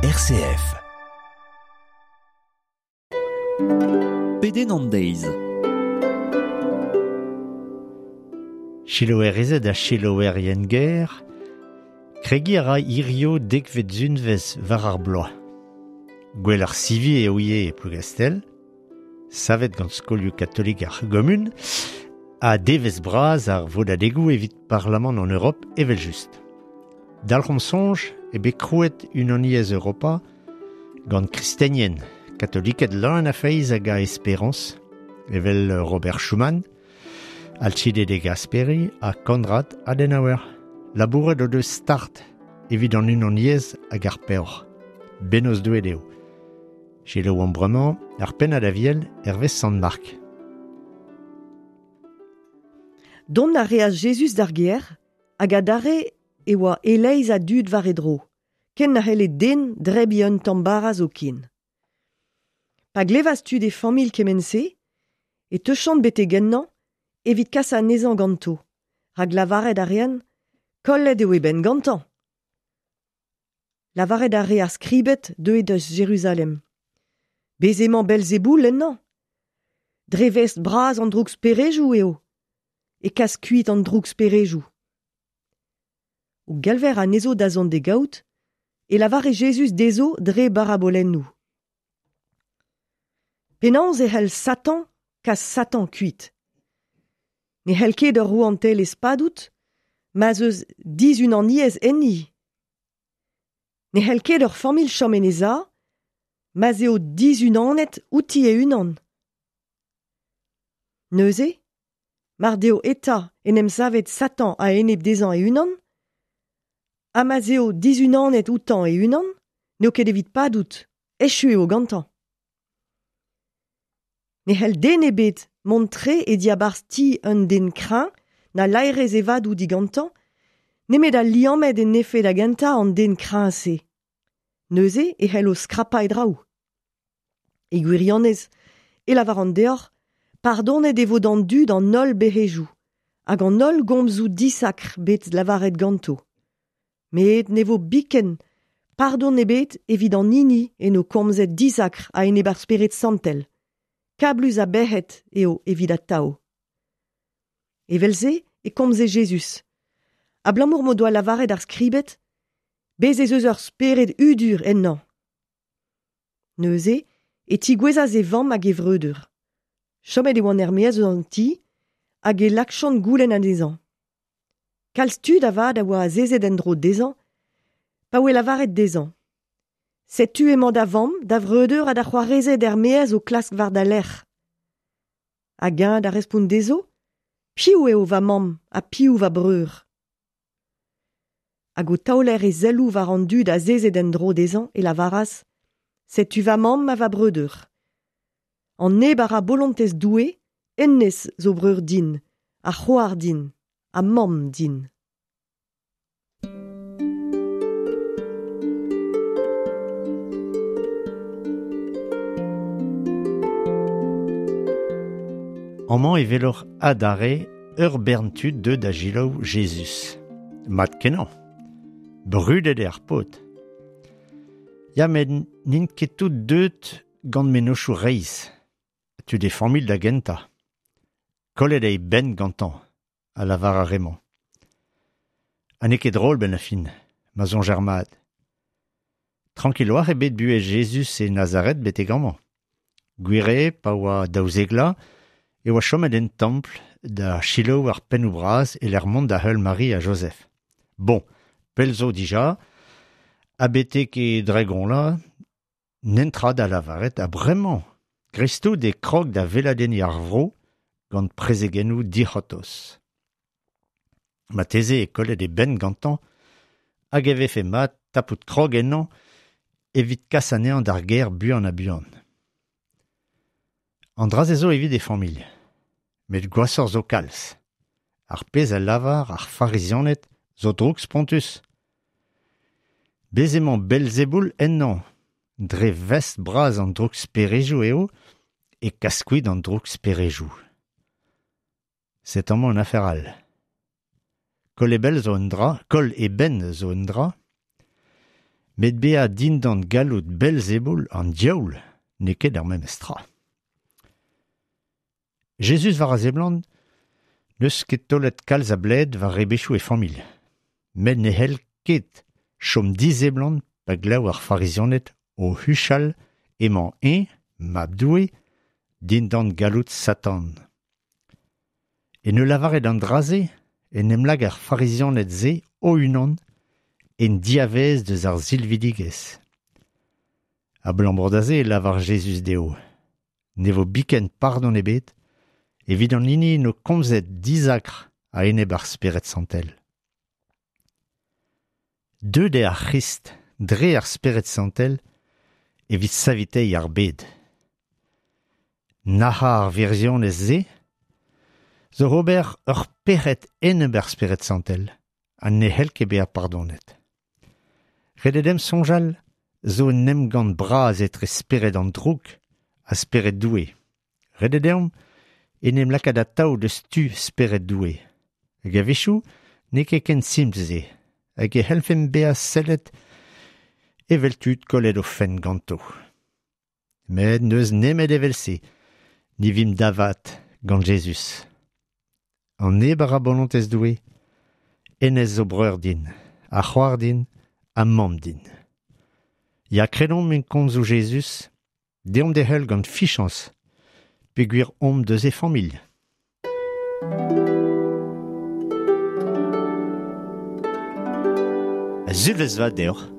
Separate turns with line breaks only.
RCF.
Pedenn an deiz.
Chiloerezed ha chiloerien ger, kregiñ a ra hirio dekvet zunvezh war ar bloaz. Gwell ar sivi eo ivez e Plougastel, savet gant skolioù katolik ar gomun, ha devezh bras ar vodadegoù evit Parlamant an Europ evel-just. Dalc'homp soñj eo bet krouet Unaniezh Europa gant kristenien, katoliked leun a feiz hag a esperañs, evel Robert Schuman, Alcide de Gasperi ha Konrad Adenauer. Labouret o deus start evit an unaniezh hag ar peoc'h. Bennozh Doue dezho. Selaouomp bremañ ar pennad aviel hervez Sant Mark.
Dont a reas Jezuz d'ar gêr, hag adarre e oa e-leizh a dud war e dro, ken na c'helle den drebiñ un tamm bara zoken. Pa glevas tud e familh kement-se, e teuchont betek ennañ evit kas anezhañ ganto, rak lavaret a reent kollet eo e benn gantañ. Lavaret a re ar skribed deuet eus Jeruzalem. Bez' emañ Belzeboul ennañ. Dre vestr bras an drouksperejoù eo e kas kuit an drouksperejoù. O gelver anezho da zont d'e gaout, e lavare Jezuz dezho dre barabolennoù. Penaos e c'hell Satan kas Satan kuit? Ne c'hell ket ur rouantelezh padout ma'z eus dizunaniezh enni. Ne c'hell ket ur familh chom en he za ma'z eo dizunanet outi e-unan. Neuze, mar deo eta en em savet Satan a-enep dezhañ e-unan, ha ma'z eo dizunanet outañ e-unan, n'eo ket evit padout, echu eo gantañ. Ne c'hell den ebet mont tre e diabarzh ti un den kreñv na laerezh e vadoù digantañ, nemet al liammet en efe da gentañ an den kreñv-se. Neuze e c'hello skrapañ e draoù. E gwirionez, e lavaran deoc'h, pardonet e vo d'an dud an holl bec'hejoù hag an holl gomzoù disakr bet lavaret ganto. Met ne vo biken pardon ebet evit an hini en o komzet disakr a-enep ar Spered Santel. Kablus a bec'hed eo evit atav. Evel-se e komze Jezuz. Abalamour m'o doa lavaret ar skribed, bez' ez eus ur spered hudur ennañ. Neuze e tigouezas e vamm hag e vreudeur. Chomet e oant er-maez eus an ti hag e lakjont goulenn anezhañ. Kalz tud avat a oa azezet en-dro dezhañ pa oe lavaret dezhañ Setu emañ da vamm, da vreudeur ha da c'hoarezed er-maez o klask war da lerc'h. Hag eñ da respont dezho Piv eo va mamm ha piv va breur? Hag o taoler e selloù war an dud azezet en-dro dezhañ e lavaras Setu va mamm ha va breudeur. An neb a ra bolontez Doue, hennezh zo breur din, ha c'hoar din, ha mamm din.
Amañ e weloc'h adarre ur bern tud deuet da selaou Jezuz. Mat-kenañ. Brudet eo ar paotr. Ya, met n'int ket tout deuet gant mennozhioù reizh. Tud e familh da gentañ. Kollet eo e benn gantañ, a lavar ar re-mañ. Ha n'eo ket drol 'benn ar fin, ma soñjer mat. Trankiloc'h eo bet buhez Jezuz e Nazaret betek amañ. Gwir eo, pa oa daouzek vloaz, e oa chomet en templ da selaou ar pennoù bras e-lec'h mont da heul Mari ha Jozef. Bon, pell zo dija, ha betek e dregoñlañ, Nentra da lavaret ha bremañ, dreist-tout e krog da weladenniñ ar vro gant prezegennoù dic'hortoz. Marteze eo kollet e benn gantañ hag e vefe mat tapout krog ennañ evit kas anezhañ d'ar gêr buan-ha-buan. An dra-se zo evit e familh. Met gwashoc'h zo kalz. Ar pezh a lavar ar Farizianed zo drouk-spontus. Bez' emañ Belzeboul ennañ. Dre vestr bras an drouksperejoù eo e kas kuit an drouksperejoù. Setu amañ un afer all. Koll e bell zo un dra, koll e benn zo un dra. Met bezañ dindan galloud Belzeboul an diaoul n'eo ket ar memes tra. Jezuz war a seblant n'eus ket taolet kalz a bled war rebechoù e familh. Met ne c'hell ket chom diseblant pa glev ar Farizianed o huchal emañ eñ, mab Doue, dindan galloud Satan. En ul lavaret an dra-se en em lak ar Farizianed-se o-unan en diavaez deus ar silvidigezh. Abalamour da se e lavar Jezuz dezho. Ne vo biken pardon ebet evit an hini no komzet dizakr a-enep ar Spered Santel. Deuet eo ar C'hrist dre ar Spered Santel evit saviteiñ ar bed. Nac'hañ ar wirionez-se zo ober ur pec'hed enep ar Spered Santel ha ne c'hell ket bezañ pardonet. Ret eo deomp soñjal zo un emgann bras etre spered an droug ha spered Doue. Ret eo deomp en em lakaat atav deus tu spered Doue. Hag a-wechoù n'eo ket ken simpl-se, hag e c'hellfemp bezañ sellet evel tud kollet o fenn ganto. Met n'eus nemet evel-se ni vimp da vat gant Jezuz. An neb a ra bolontez Doue, hennezh zo breur din, ha c'hoar din, ha mamm din. Ya kredomp en komzoù Jezuz, deomp d'e heul gant fichañs, peogwir omp deus e familh. Sulvezh vat deoc'h.